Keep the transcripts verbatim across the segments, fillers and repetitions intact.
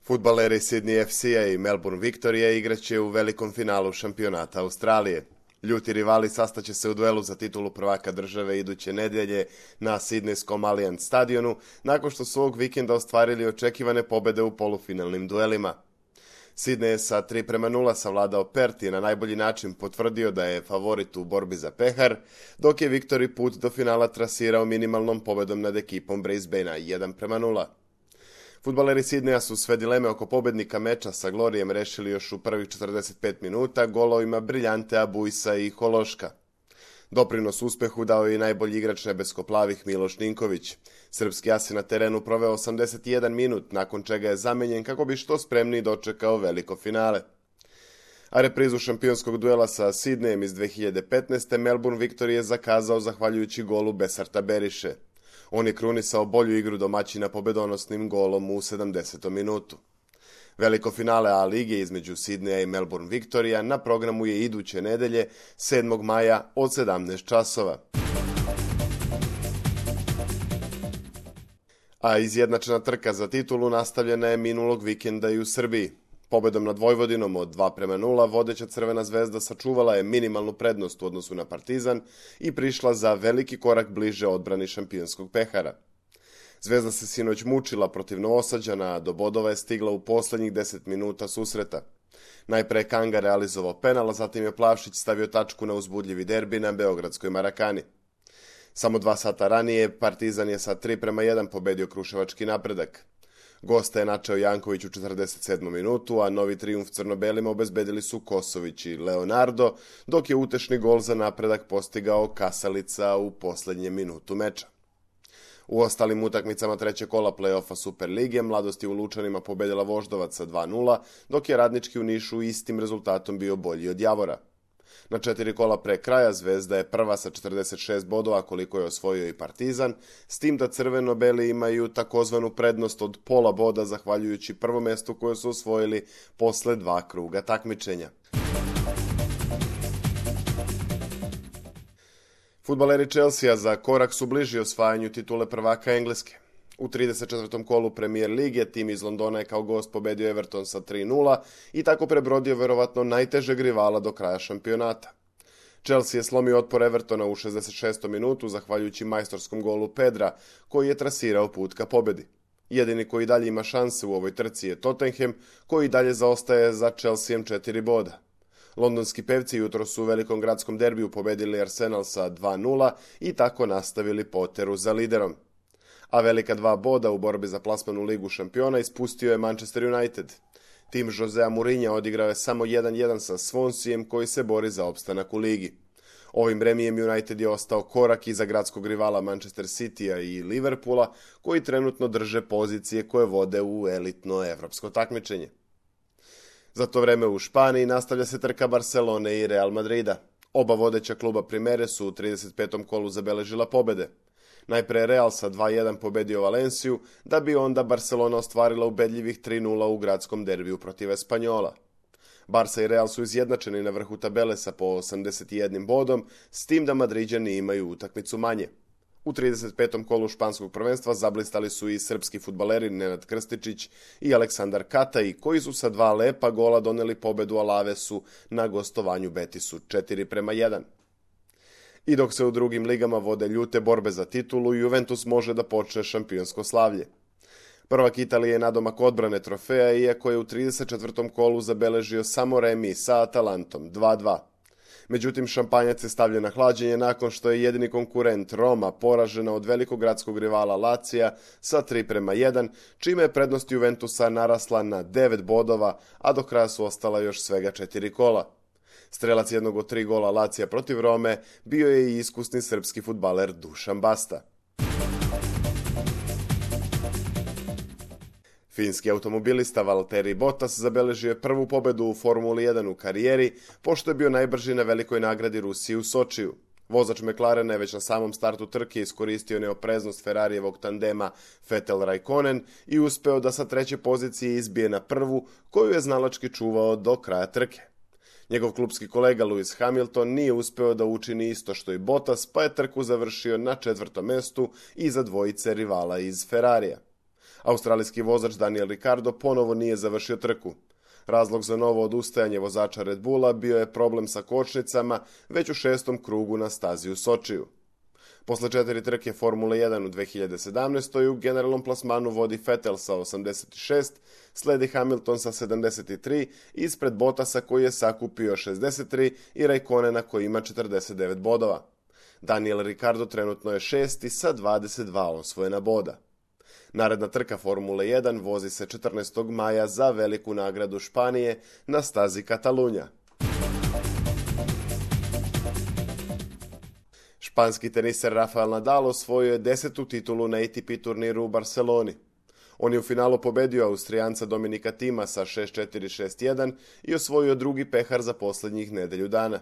Fudbaleri Sydney F C-a i Melbourne Victoria igraće u velikom finalu šampionata Australije. Ljuti rivali sastaće se u duelu za titulu prvaka države iduće nedelje na Sidnejskom Allianz stadionu, nakon što su ovog vikenda ostvarili očekivane pobede u polufinalnim duelima. Sydney je sa tri prema nula savladao Perth i na najbolji način potvrdio da je favorit u borbi za pehar, dok je Victory put do finala trasirao minimalnom pobedom nad ekipom Brisbanea jedan prema nula. Fudbaleri Sidneja su sve dileme oko pobednika meča sa Glorijem rešili još u prvih četrdeset pet minuta golovima Briljante Abuisa i Hološka. Doprinos uspehu dao je i najbolji igrač nebesko-plavih Miloš Ninković. Srpski as je na terenu proveo osamdeset jedan minut, nakon čega je zamenjen kako bi što spremniji dočekao veliko finale. A reprizu šampionskog duela sa Sidnejem iz dve hiljade petnaeste. Melbourne Victory je zakazao zahvaljujući golu Besarta Beriše. On je krunisao bolju igru domaćina pobedonosnim golom u sedamdesetom minutu. Veliko finale A lige između Sidneja i Melbourne Victoria na programu je iduće nedelje, sedmog maja od sedamnaest časova. A izjednačena trka za titulu nastavljena je minulog vikenda i u Srbiji. Pobedom nad Vojvodinom od dva prema nula vodeća Crvena zvezda sačuvala je minimalnu prednost u odnosu na Partizan i prišla za veliki korak bliže odbrani šampionskog pehara. Zvezda se sinoć mučila protiv Novosađana, a do bodova je stigla u poslednjih deset minuta susreta. Najpre je Kanga realizovao penal, a zatim je Plavšić stavio tačku na uzbudljivi derbi na beogradskoj Marakani. Samo dva sata ranije Partizan je sa tri prema jedan pobedio Kruševački Napredak. Gosta je načeo Janković u četrdeset sedmom minutu, a novi trijumf crnobelima obezbedili su Kosović i Leonardo, dok je utešni gol za Napredak postigao Kasalica u poslednjem minutu meča. U ostalim utakmicama trećeg kola play-offa Super lige Mladost je u Lučanima pobedila Voždovac sa dva nula, dok je Radnički u Nišu istim rezultatom bio bolji od Javora. Na četiri kola pre kraja Zvezda je prva sa četrdeset šest bodova koliko je osvojio i Partizan, s tim da crveno-beli imaju takozvanu prednost od pola boda zahvaljujući prvom mestu koje su osvojili posle dva kruga takmičenja. Fudbaleri Chelsea za korak su bliži osvajanju titule prvaka Engleske. U trideset četvrtom kolu Premier lige tim iz Londona je kao gost pobedio Everton sa tri nula i tako prebrodio verovatno najtežeg rivala do kraja šampionata. Chelsea je slomio otpor Evertona u šezdeset šestom minutu zahvaljujući majstorskom golu Pedra, koji je trasirao put ka pobedi. Jedini koji dalje ima šanse u ovoj trci je Tottenham, koji dalje zaostaje za Chelseaem četiri boda. Londonski pevci jutro su u velikom gradskom derbiju pobedili Arsenal sa dva nula i tako nastavili poteru za liderom. A velika dva boda u borbi za plasman u Ligu šampiona ispustio je Manchester United. Tim Josea Mourinha odigrao je samo jedan jedan sa Swanseaem koji se bori za opstanak u ligi. Ovim remijem United je ostao korak iza gradskog rivala Manchester Citya i Liverpoola, koji trenutno drže pozicije koje vode u elitno evropsko takmičenje. Za to vreme u Španiji nastavlja se trka Barcelone i Real Madrida. Oba vodeća kluba Primere su u trideset petom kolu zabeležila pobede. Najpre Real sa dva jedan pobedio Valenciju, da bi onda Barcelona ostvarila ubedljivih tri nula u gradskom derbiju protiv Espanjola. Barca i Real su izjednačeni na vrhu tabele sa po osamdeset jedan bodom, s tim da Madriđani imaju utakmicu manje. U trideset petom kolu španskog prvenstva zablistali su i srpski fudbaleri Nenad Krstičić i Aleksandar Kataj, koji su sa dva lepa gola doneli pobedu Alavesu na gostovanju Betisu četiri prema jedan. I dok se u drugim ligama vode ljute borbe za titulu, Juventus može da počne šampionsko slavlje. Prvak Italije je nadomak odbrane trofeja, iako je u trideset četvrtom kolu zabeležio samo remi sa Atalantom dva dva. Međutim, šampanjac je stavljen na hlađenje nakon što je jedini konkurent Roma poražena od velikog gradskog rivala Lacija sa tri prema jedan, čime je prednost Juventusa narasla na devet bodova, a do kraja su ostala još svega četiri kola. Strelac jednog od tri gola Lacija protiv Rome bio je i iskusni srpski fudbaler Dušan Basta. Finski automobilista Valtteri Bottas zabeležio je prvu pobedu u Formuli jedan u karijeri, pošto je bio najbrži na velikoj nagradi Rusije u Sočiju. Vozač McLarena je već na samom startu trke iskoristio neopreznost Ferarijevog tandema Vettel-Raikkonen i uspeo da sa treće pozicije izbije na prvu, koju je znalački čuvao do kraja trke. Njegov klupski kolega Lewis Hamilton nije uspeo da učini isto što i Bottas, pa je trku završio na četvrtom mestu iza dvojice rivala iz Ferrarija. Australijski vozač Daniel Ricciardo ponovo nije završio trku. Razlog za novo odustajanje vozača Red Bulla bio je problem sa kočnicama već u šestom krugu na stazi u Sočiju. Posle četiri trke Formule jedan u dve hiljade sedamnaestoj. u generalnom plasmanu vodi Vettel sa osamdeset šest, sledi Hamilton sa sedamdeset tri, ispred Bottasa koji je sakupio šezdeset tri i Raikkonena koji ima četrdeset devet bodova. Daniel Ricciardo trenutno je šesti sa dvadeset dva osvojena boda. Naredna trka Formule jedan vozi se četrnaestog maja za veliku nagradu Španije na stazi Katalunja. Španski teniser Rafael Nadal osvojio je desetu titulu na A T P turniru u Barceloni. On je u finalu pobedio Austrijanca Dominika Thima sa šest četiri šest jedan i osvojio drugi pehar za posljednjih nedelju dana.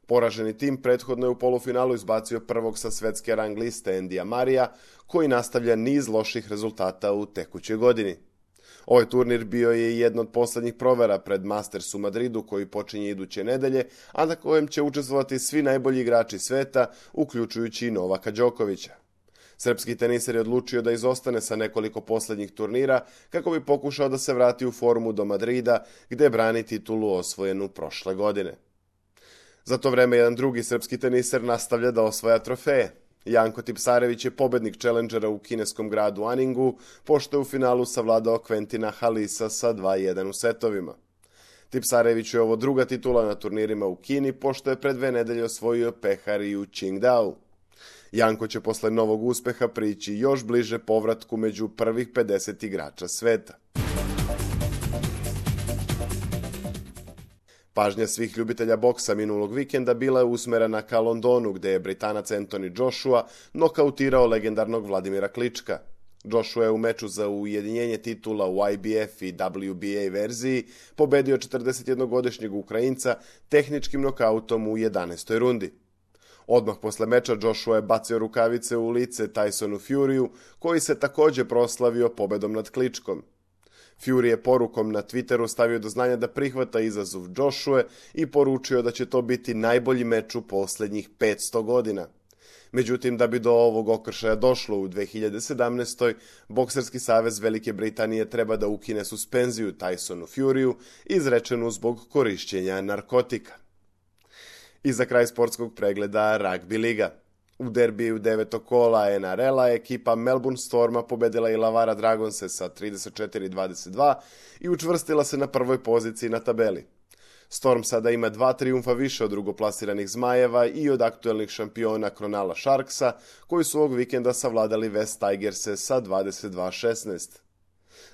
Poraženi tim prethodno je u polufinalu izbacio prvog sa svetske rang liste Andyja Marija, koji nastavlja niz loših rezultata u tekućoj godini. Ovaj turnir bio je jedna od posljednjih provera pred Masters u Madridu koji počinje iduće nedelje, a na kojem će učestvovati svi najbolji igrači sveta, uključujući i Novaka Đokovića. Srpski teniser je odlučio da izostane sa nekoliko posljednjih turnira kako bi pokušao da se vrati u formu do Madrida, gde brani titulu osvojenu prošle godine. Za to vreme jedan drugi srpski teniser nastavlja da osvaja trofeje. Janko Tipsarević je pobednik Challengera u kineskom gradu Aningu, pošto je u finalu savladao Quentina Halisa sa dva jedan u setovima. Tipsarević je ovo druga titula na turnirima u Kini, pošto je pre dve nedelje osvojio pehar i u Qingdao. Janko će posle novog uspeha prići još bliže povratku među prvih pedeset igrača sveta. Pažnja svih ljubitelja boksa minulog vikenda bila je usmerena ka Londonu, gde je Britanac Anthony Joshua nokautirao legendarnog Vladimira Klička. Joshua je u meču za ujedinjenje titula u I B F i W B A verziji pobedio četrdesetjednogodišnjeg Ukrajinca tehničkim nokautom u jedanaestoj rundi. Odmah posle meča Joshua je bacio rukavice u lice Tysonu Furyu, koji se također proslavio pobedom nad Kličkom. Fury je porukom na Twitteru stavio do znanja da prihvata izazov Joshua i poručio da će to biti najbolji meč u posljednjih petsto godina. Međutim, da bi do ovog okršaja došlo u dve hiljade sedamnaestoj. Bokserski savez Velike Britanije treba da ukine suspenziju Tysonu Furyu, izrečenu zbog korišćenja narkotika. I za kraj sportskog pregleda Rugby liga. U derbiju devetog kola N R L-a ekipa Melbourne Storma pobedila i Lavara Dragonse sa trideset četiri dvadeset dva i učvrstila se na prvoj poziciji na tabeli. Storm sada ima dva trijumfa više od drugoplasiranih Zmajeva i od aktuelnih šampiona Cronulla Sharksa, koji su ovog vikenda savladali West Tigerse sa dvadeset dva šesnaest.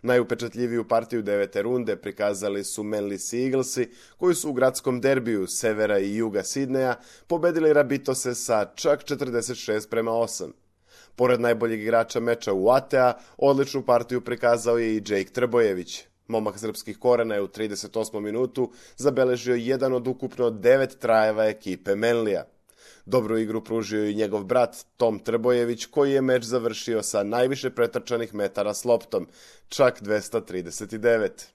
Najupečatljiviju partiju devete runde prikazali su Manly Sea Eaglesi, koji su u gradskom derbiju severa i juga Sidneja pobedili Rabitose sa čak četrdeset šest prema osam. Pored najboljeg igrača meča u A T A, odličnu partiju prikazao je i Jake Trbojević. Momak srpskih korena je u trideset osmom minutu zabeležio jedan od ukupno devet trajeva ekipe Manlija. Dobru igru pružio i njegov brat Tom Trbojević, koji je meč završio sa najviše pretrčanih metara s loptom, čak dvesta trideset devet.